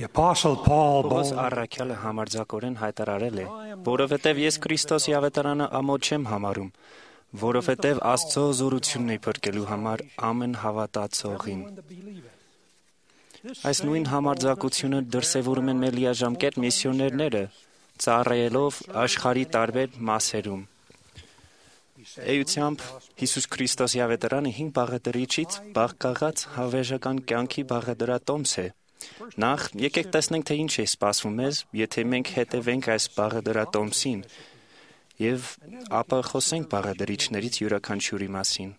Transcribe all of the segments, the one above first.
The Apostle Paul Պողոս boldly առաքյալը համարձակորեն հայտարարել է, որովհետև ես Քրիստոսի ավետարանը ամոթ չեմ համարում, որովհետև Աստծո զորությունն է փրկելու համար ամեն հավատացողին։ Այս նույն համարձակությունը դրսևորում են մեր լիաժամկետ միսիոներները, ծառայելով աշխարհի տարբեր մասերում։ Էությամբ Հիսուս Քրիստոսի ավետարանը 5 բաղադրիչից բաղկացած հավերժական կյանքի բաղադրատոմս է։ Նախ եկեք տեսնենք, թե ինչ է սպասվում մեզ, եթե մենք հետևենք այս բաղադրատոմսին, եւ ապա խոսենք բաղադրիչներից յուրաքանչյուրի մասին։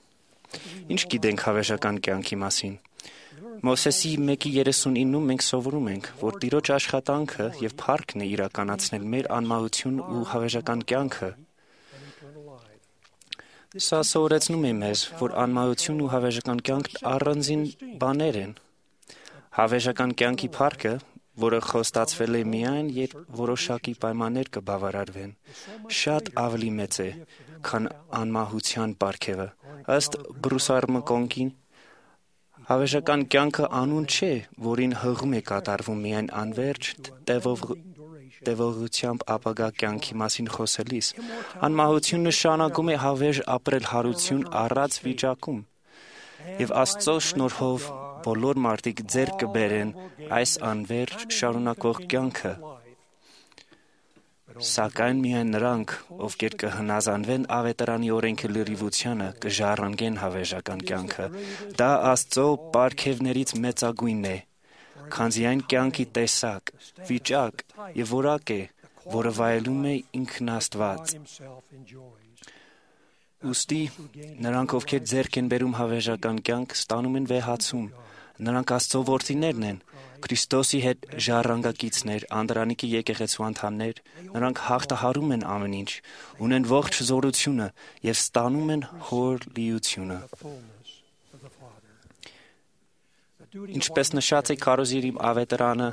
Ինչ գիտենք հավերժական կյանքի մասին։ Մովսեսի 1:39-ում մենք սովորում ենք, որ Տիրոջ աշխատանքը եւ փառքն է իրականացնել մեր անմահություն ու հավերժական կյանքը։ Սա սովորեցնում է մեզ, որ անմահություն ու հավերժական կյանքն առանձին բաներ են։ Հավերժական կյանքի փառքը, որը խոստացվել է միայն, երբ որոշակի պայմաններ կբավարարվեն, շատ ավելի մեծ է, քան անմահության պարգևը։ Ըստ Բրուսարմկոնկի, հավերժական կյանքը անուն չէ, որին հղում է կատարվում միայն անverջ տևողությամբ ապագա կյանքի մասին խոսելիս։ Անմահություն նշանակում է հավերժ ապրել հարություն առած վիճակում։ Եվ Աստծո շնորհով բոլոր մարդիկ ձեռք կբերեն այս անverջ շարունակվող կյանքը։ Սակայն միայն նրանք, ովքեր կհնազանդվեն ավետարանի օրենքի լրիվությանը, կժառանգեն հավերժական կյանքը։ Դա Աստծո պարգևներից մեծագույնն է, քանզի այն կյանքի տեսակ, վիճակ եւ որակ է, որը վայելում է ինքն Աստված։ Ուստի նրանք, ովքեր ձեռք են բերում հավերժական կյանք, ստանում են վեհացում։ Նրանք Աստծո որդիներն են, Քրիստոսի հետ ժառանգակիցներ, Անդրանիկի եկեղեցու անդամներ, նրանք հաղթահարում են ամեն ինչ, ունեն ողջ զորությունը եւ ստանում են հոր լիությունը։ Ինչպես նշած է Քարոզիրի ավետարանը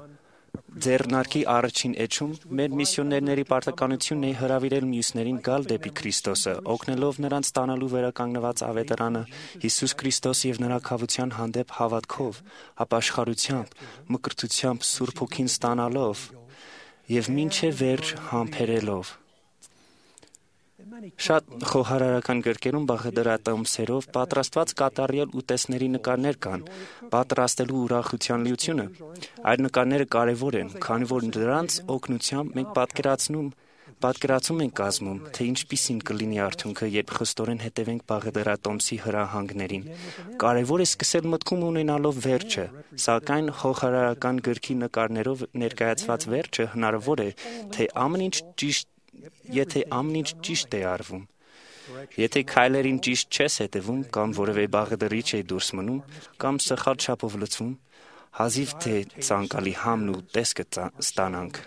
ձեռնարկի առաջին էջում, մեր միսիոներների պարտականությունն է հրավիրել մյուսներին գալ դեպի Քրիստոսը, օգնելով նրանց ստանալու վերականգնված ավետարանը Հիսուս Քրիստոս եւ նրա քավության հանդեպ հավատքով, ապաշխարությամբ, մկրտությամբ Սուրբ Հոգին ստանալով եւ մինչեւ վերջ համբերելով։ Շատ խոհարարական գրքերում բաղադրատոմսերով պատրաստված կատարյալ ուտեստների նկարներ կան, պատրաստելու ուրախության լիությունը։ Այդ նկարները կարևոր են, քանի որ դրանց օգնությամբ մենք պատկերացում ենք կազմում, թե ինչպիսին կլինի արդյունքը, երբ խստորեն հետևենք բաղադրատոմսի հրահանգներին։ Կարևոր է սկսել մտքում ունենալով վերջը, սակայն խոհարարական գրքի նկարներով ներկայացված վերջը հնարավոր է, եթե ամեն ինչ ճիշտ է արվում։ Եթե քայլերին ճիշտ չես հետևում կամ որևէ բաղադրիչ է դուրս մնում կամ սխալ չափով լցվում, հազիվ թե ցանկալի համն ու տեսքը ստանանք։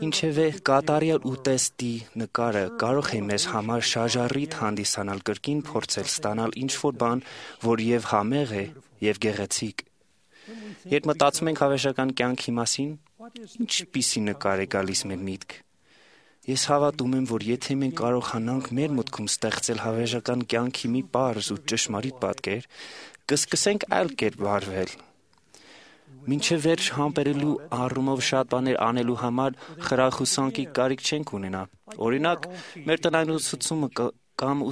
Ինչևէ, կատարյալ ուտեստի նկարը կարող է մեզ համար շարժառիթ հանդիսանալ կրկին փորձել ստանալ ինչ-որ բան, որ եւ համեղ է, եւ գեղեցիկ։ Երբ մտածում ենք հավերժական կյանքի մասին, ինչպիսի նկար է գալիս մեր միտք։ Ես հավատում եմ, որ եթե մենք կարողանանք մեր մտքում ստեղծել հավերժական կյանքի մի պարզ ու ճշմարիտ պատկեր, կսկսենք այլ կերպ վարվել։ Մինչև վերջ համբերելու առումով շատ բաներ անելու համար խրախուսանքի կարիք չենք ունենա։ Օրինակ, մեր տնային ուսուցումը կամ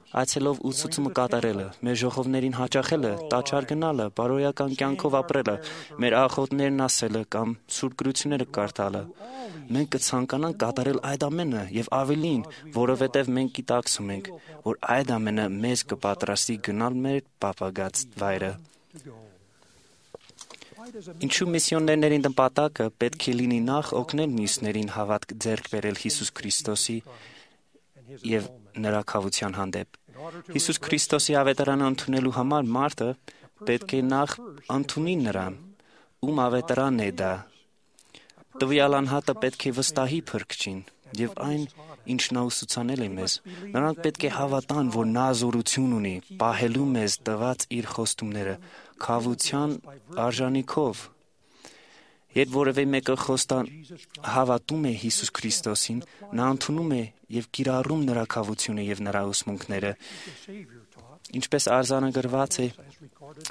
այցելով ուսուցումը կատարելը, մեր ժողովներին հաճախելը, տաճար գնալը, բարոյական կյանքով ապրելը, մեր աղոթներն ասելը կամ սուրբ գրությունները կարդալը։ Մենք կցանկանանք կատարել այդ ամենը եւ ավելին, որովհետեւ մենք գիտակցում ենք, որ այդ ամենը մեզ կպատրաստի գնալ մեր պապագած վայրը։ Ինչու միսիոներների նպատակը պետք է լինի նախ օգնել մյուսներին հավատք ձեռք բերել Հիսուս Քրիստոսի եւ նրա քավության հանդեպ։ Հիսուս Քրիստոսի ավետարանը ընդունելու համար մարդը պետք է նախ ընդունի նրան, ում ավետարանն է դա։ Տվյալ անհատը պետք է վստահի Փրկչին եւ այն, ինչ նա ուսուցանել է մեզ։ Նրանք պետք է հավատան, որ նա զորություն ունի, պահելու մեզ տված իր խոստումները քավության արժանիքով։ Երբ որևէ մեկը հավատում է Հիսուս Քրիստոսին, նա ընդունում է եւ կիրառում նրա քավությունը եւ նրա ուսմունքները։ Ինչպես արձանագրված է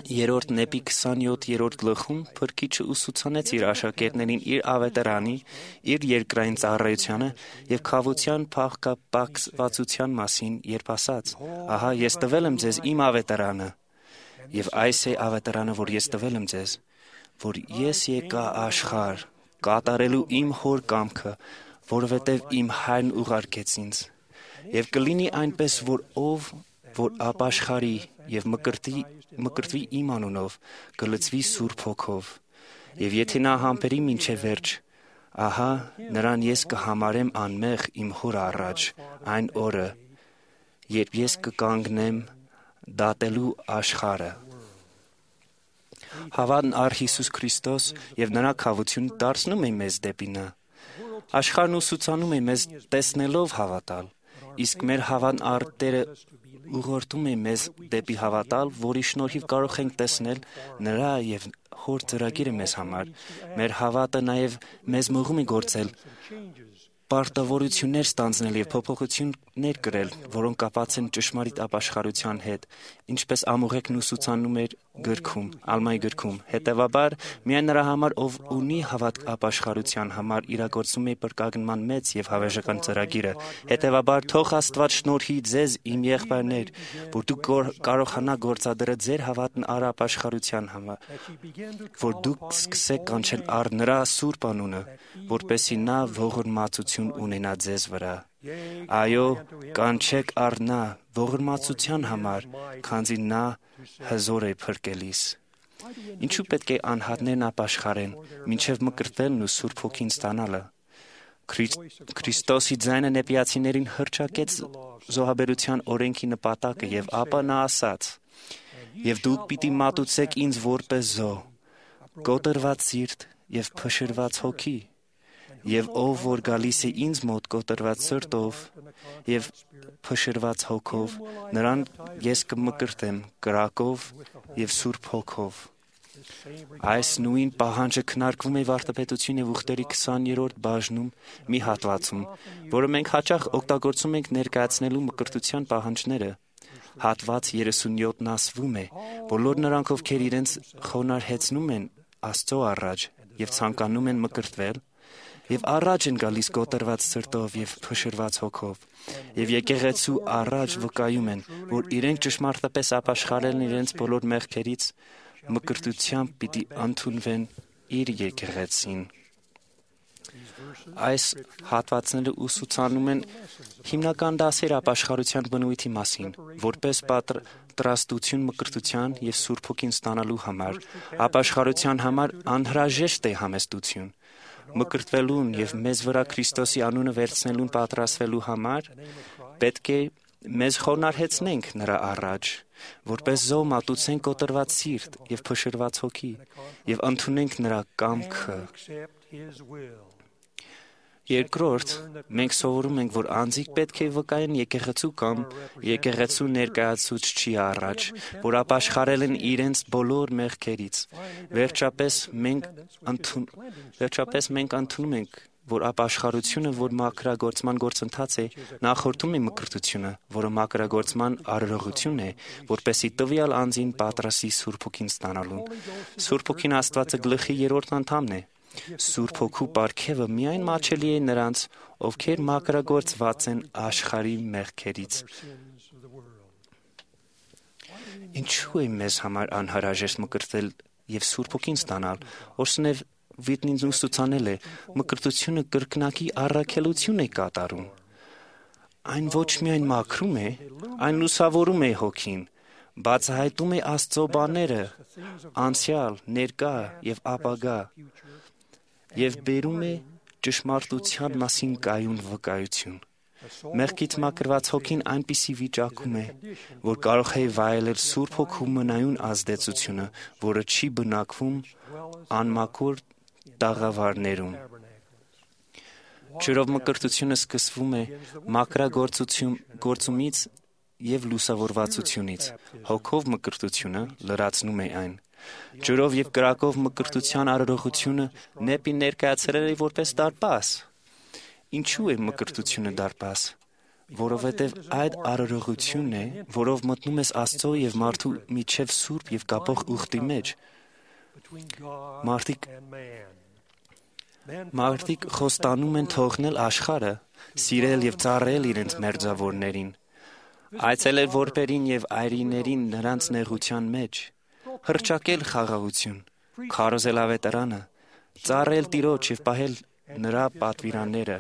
3-րդ Նեպի 27-րդ գլխում, Փրկիչը ուսուցանեց իր աշակերտներին իր ավետարանի, իր երկրային ծառայությանը եւ քավության փոխկապակցվածության մասին, երբ ասաց. «Ահա ես տվել եմ ձեզ իմ ավետարանը, եւ այս է ավետարանը, որ ես տվել եմ ձեզ, որ ես եկա աշխարհ կատարելու իմ հոր կամքը, որովհետեւ իմ հայրն ուղարկեց ինձ։ Եվ կլինի այնպես, որ ով որ ապաշխարի եւ մկրտվի իմ անունով, կլցվի Սուրբ Հոգով, եւ եթե նա համբերի մինչեւ վերջ, ահա նրան ես կհամարեմ անմեղ իմ հոր առաջ այն օրը, երբ ես կկանգնեմ դատելու աշխարհը»։ Հավատն առ Հիսուս Քրիստոս եւ նրա քավությունը դարձնում է մեզ դեպի նա։ Աշխարհն ուսուցանում է մեզ տեսնելով հավատալ, իսկ մեր հավատն առ Տերը ուղղորդում է մեզ դեպի հավատալ, որի շնորհիվ կարող ենք տեսնել նրա եւ Հոր ծրագիրը մեզ համար։ Մեր հավատը նաեւ մեզ մղում է գործել, պարտավորություններ ստանձնել եւ փոփոխություններ կրել, որոնք կապված են ճշմարիտ ապաշխարության հետ, ինչպես Ամուղեկն ուսուցանում էր Ալմայի գրքում։ Հետևաբար, միայն նրա համար, ով ունի հավատք ապաշխարության համար, իրագործում է փրկագնման մեծ եւ հավերժական ծրագիրը։ Հետևաբար, թող Աստված շնորհի ձեզ, իմ եղբայրներ, որ դուք կարողանաք գործադրել ձեր հավատն առ ապաշխարության համար, որ դուք սկսեք կանչել առ նրա սուրբ անունը, որպեսզի նա ողորմածություն ունենա ձեզ վրա։ Այո, կանչեք առ նա ողորմածության համար, քանզի նա հզոր է փրկելիս։ Ինչու պետք է անհատներն ապաշխարեն, մինչև մկրտվելն ու Սուրբ Հոգին ստանալը։ Քրիստոսի ձայնը նեպիացիներին հռչակեց զոհաբերության օրենքի նպատակը եւ ապա նա ասաց. «Եվ դուք պիտի մատուցեք ինձ որպես զոհ, կոտրված սիրտ եւ փշրված հոգի, եւ ով որ գալիս է ինձ մոտ կոտրված սրտով եւ փշրված հոգով, նրան ես կմկրտեմ կրակով եւ Սուրբ Հոգով»։ Այս նույն պահանջը քննարկվում է Վարդապետություն եւ ուխտերի 20-րդ բաժնում մի հատվածում, որը մենք հաճախ օգտագործում ենք ներկայացնելու մկրտության պահանջները։ Հատված 37-ն ասվում է. «Բոլոր նրանք, ովքեր իրենց խոնարհեցնում են Աստծո առաջ եւ ցանկանում են մկրտվել, եւ առաջ են գալիս կոտրված սրտով եւ փշրված հոգով, եւ եկեղեցու առաջ վկայում են, որ իրենք ճշմարտապես ապաշխարել են իրենց բոլոր մեղքերից, մկրտությամբ պիտի ընդունվեն իր եկեղեցին»։ Այս հատվածները ուսուցանում են հիմնական դասեր ապաշխարության բնույթի մասին, որպես պատրաստություն մկրտության եւ Սուրբ Հոգին ստանալու համար։ Ապաշխարության համար անհրաժեշտ է համեստություն։ Մկրտվելուն եւ մեզ վրա Քրիստոսի անունը վերցնելուն պատրաստվելու համար պետք է մեզ խոնարհեցնենք նրա առաջ, որպես զոհ մատուցենք կոտրված սիրտ եւ փշրված հոգի եւ ընդունենք նրա կամքը։ Երկրորդ, մենք սովորում ենք, որ անձիկ պետք է վկայեն եկեղեցու կամ եկեղեցու ներկայացուցչի առաջ, որ ապաշխարել են իրենց բոլոր մեղքերից։ Վերջապես մենք ընդունում ենք, որ ապաշխարությունը, որ մաքրագործման գործընթաց է, նախորդում է մկրտությունը, որը մաքրագործման արարողություն է, որպեսզի տվյալ անձին պատրաստի Սուրբ Հոգին ստանալուն։ Սուրբ Հոգին Աստվածը գլխի 3-րդ անդամն է։ Սուրբ Հոգու պարգևը միայն մատչելի է նրանց, ովքեր մաքրագործված են աշխարհի մեղքերից։ Ինչու է մեզ համար անհրաժեշտ մկրտվել եւ Սուրբ Հոգին ստանալ։ Օրսնև Վիտնին ուսուցանել է, մկրտությունը կրկնակի առաքելություն է կատարում։ Այն ոչ միայն մաքրում է, այն լուսավորում է հոգին, բացահայտում է Աստծո բաները, անցյալ, ներկա եւ ապագա, եւ բերում է ճշմարտության մասին կայուն վկայություն։ Մեղքից մաքրված հոգին այնպիսի վիճակում է, որ կարող է վայելել Սուրբ Հոգու մնայուն ազդեցությունը, որը չի բնակվում անմաքուր տաղավարներում։ Ջրով մկրտությունը սկսվում է մաքրագործումից եւ լուսավորվածությունից։ Հոգով մկրտությունը լրացնում է այն։ Ջրով եւ կրակով մկրտության արարողությունը Նեպին ներկայացրել է որպես դարպաս։ Ինչու է մկրտությունը դարպաս։ որովհետև այդ արարողությունն է, որով մտնում ես Աստծո եւ մարդու միջև սուրբ եւ կապող ուխտի մեջ։ Մարդիկ խոստանում են թողնել աշխարհը, սիրել եւ ծառայել իրենց մերձավորներին, այցելել որբերին եւ այրիներին նրանց նեղության մեջ, հռչակել խաղաղություն, քարոզել ավետարանը, ծառայել Տիրոջ եւ պահել նրա պատվիրանները։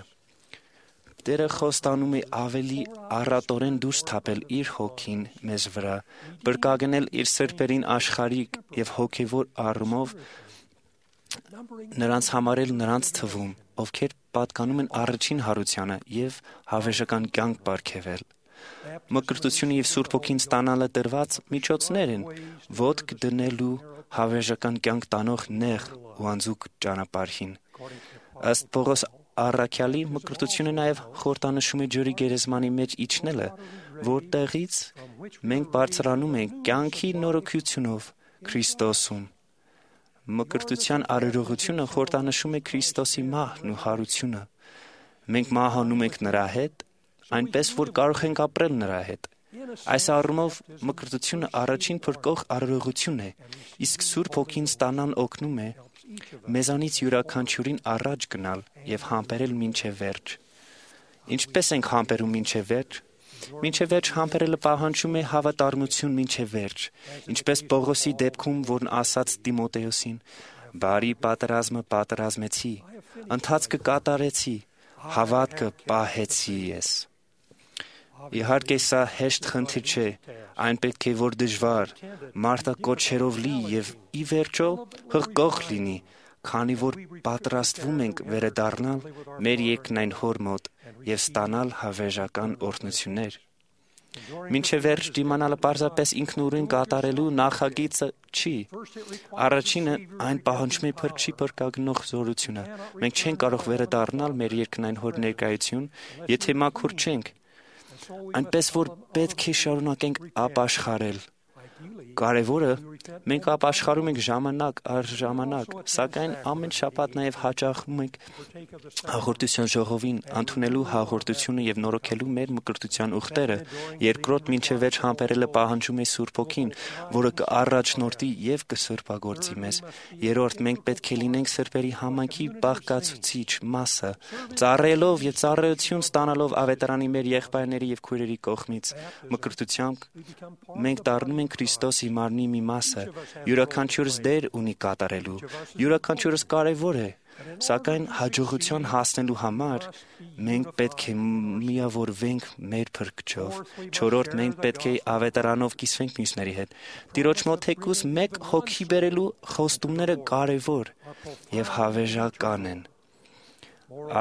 Տերը խոստանում է ավելի առատորեն դուրս թափել իր հոգին մեզ վրա, բրկագնել իր սրբերին աշխարհիկ եւ հոգեվոր առումով նրանց համարել նրանց թվում, ովքեր պատկանում են առաջին հարությանը եւ հավերժական կյանք պարգևել։ Մկրտությունը եւ Սուրբ Հոգին ստանալը տրված միջոցներ են, ոտք դնելու հավերժական կյանք տանող նեղ ու անձուկ ճանապարհին։ Ըստ Պողոս Առաքյալի, մկրտությունը նաև խորհրդանշում է ջրի գերեզմանի մեջ իջնելը, որտեղից մենք բարձրանում ենք կյանքի նորոգությունով Քրիստոսում։ Մկրտության արարողությունը խորհրդանշում է Քրիստոսի մահն ու հարությունը։ Մենք մահանում ենք նրա հետ, այնպես որ կարող ենք ապրել նրա հետ։ Այս առումով մկրտությունը առաջին փրկող արարողություն է, իսկ Սուրբ Հոգին ստանան օգնում է մեզանից յուրաքանչյուրին առաջ գնալ եւ համբերել մինչեւ վերջ։ Ինչպես ենք համբերում մինչեւ վերջ։ Մինչեւ վերջ համբերելը պահանջում է հավատարմություն մինչեւ վերջ, ինչպես Պողոսի դեպքում, որն ասաց Տիմոթեոսին. «Բարի պատերազմը պատերազմեցի, ընթացքը կատարեցի, հավատքը պահեցի ես»։ Իհարկե սա հեշտ խնդիր չէ, այն պետք է որ դժվար, մարտակոչերով լի եւ ի վերջո հղկող լինի, քանի որ պատրաստվում ենք վերադառնալ մեր երկնային Հոր մոտ եւ ստանալ հավերժական օրհնություններ։ Մինչև վերջ դիմանալը պարզապես ինքնուրույն կատարելու նախագիծը չի։ Առաջինը այն պահանջում է փրկչի փրկագնող զորությունը։ Մենք չենք կարող վերադառնալ մեր երկնային Հոր ներկայություն, եթե մաքուր չենք։ Այնպես որ պետք է շարունակենք ապաշխարել։ Կարևորը մենք ապաշխարում ենք ժամանակ առ ժամանակ, սակայն ամեն շաբաթ նաև հաճախում ենք հաղորդության ժողովին ընդունելու հաղորդությունը եւ նորոգելու մեր մկրտության ուխտերը։ Երկրորդ մինչև վերջ համբերելը պահանջում է Սուրբ Հոգին, որը կառաջնորդի եւ կսրբագործի մեզ։ Երրորդ մենք պետք է լինենք սրբերի համայնքի բաղկացուցիչ մասը, ծառայելով եւ ծառայություն ստանալով ավետարանի մեր եղբայրների եւ քույրերի կողմից։ Մկրտությամբ մենք դառնում ենք Քրիստոսի մարմնի մի մասը, յուրաքանչյուրս դեր ունի կատարելու, յուրաքանչյուրս կարևոր է, սակայն հաջողության հասնելու համար մենք պետք է միավորվենք մեր Փրկչով։ Չորրորդ մենք պետք է ավետարանով կիսվենք մյուսների հետ։ Տիրոջ մոտ թեկուզ մեկ հոգի բերելու խոստումները կարևոր եւ հավերժական են։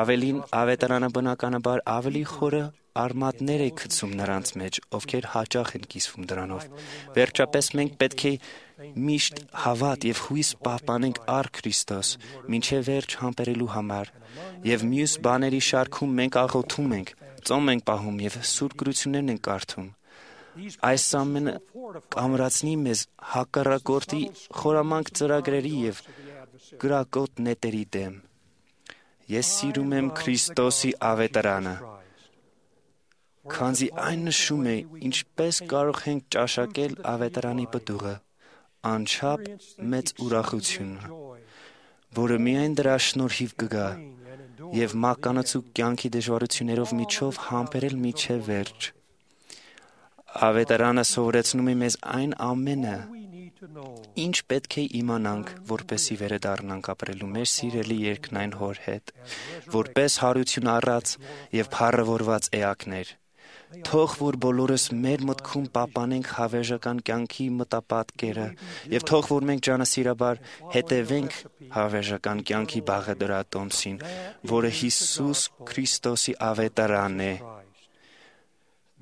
Ավելին, ավետարանը բնականաբար ավելի խորը արմատներ է գցում նրանց մեջ, ովքեր հաճախ են կիսվում դրանով։ Վերջապես մենք պետք է միշտ հավատ եւ հույս պահպանենք առ Քրիստոս, մինչեւ վերջ համբերելու համար, եւ մյուս բաների շարքում մենք աղոթում ենք, ծոմ ենք պահում եւ սուրբ գրություններն ենք կարդում։ Այս ամենը կամրացնի մեզ հակառակորդի խորամանկ ծրագրերի եւ կրակոտ նետերի դեմ։ Ես սիրում եմ Քրիստոսի ավետարանը, քանզի այն նշում է, ինչպես կարող ենք ճաշակել ավետարանի պտուղը, անչափ մեծ ուրախությունը, որը միայն դրա շնորհիվ կգա, եւ մականացու կյանքի դժվարություններով միջով համբերել մինչև վերջ։ Ավետարանը սովորեցնում է մեզ այն ամենը, ինչ պետք է իմանանք, որպեսզի վերադառնանք ապրելու մեր սիրելի երկնային Հոր հետ, որպես հարություն առած եւ փառավորված էակներ։ Թող որ բոլորս մեր մտքում պահպանենք հավերժական կյանքի մտապատկերը եւ թող որ մենք ջանասիրաբար հետևենք հավերժական կյանքի բաղադրատոմսին, որը Հիսուս Քրիստոսի ավետարանն է։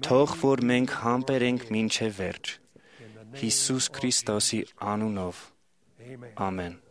Թող որ մենք համբերենք մինչև վերջ։ Հիսուս Քրիստոսի անունով։ Ամեն։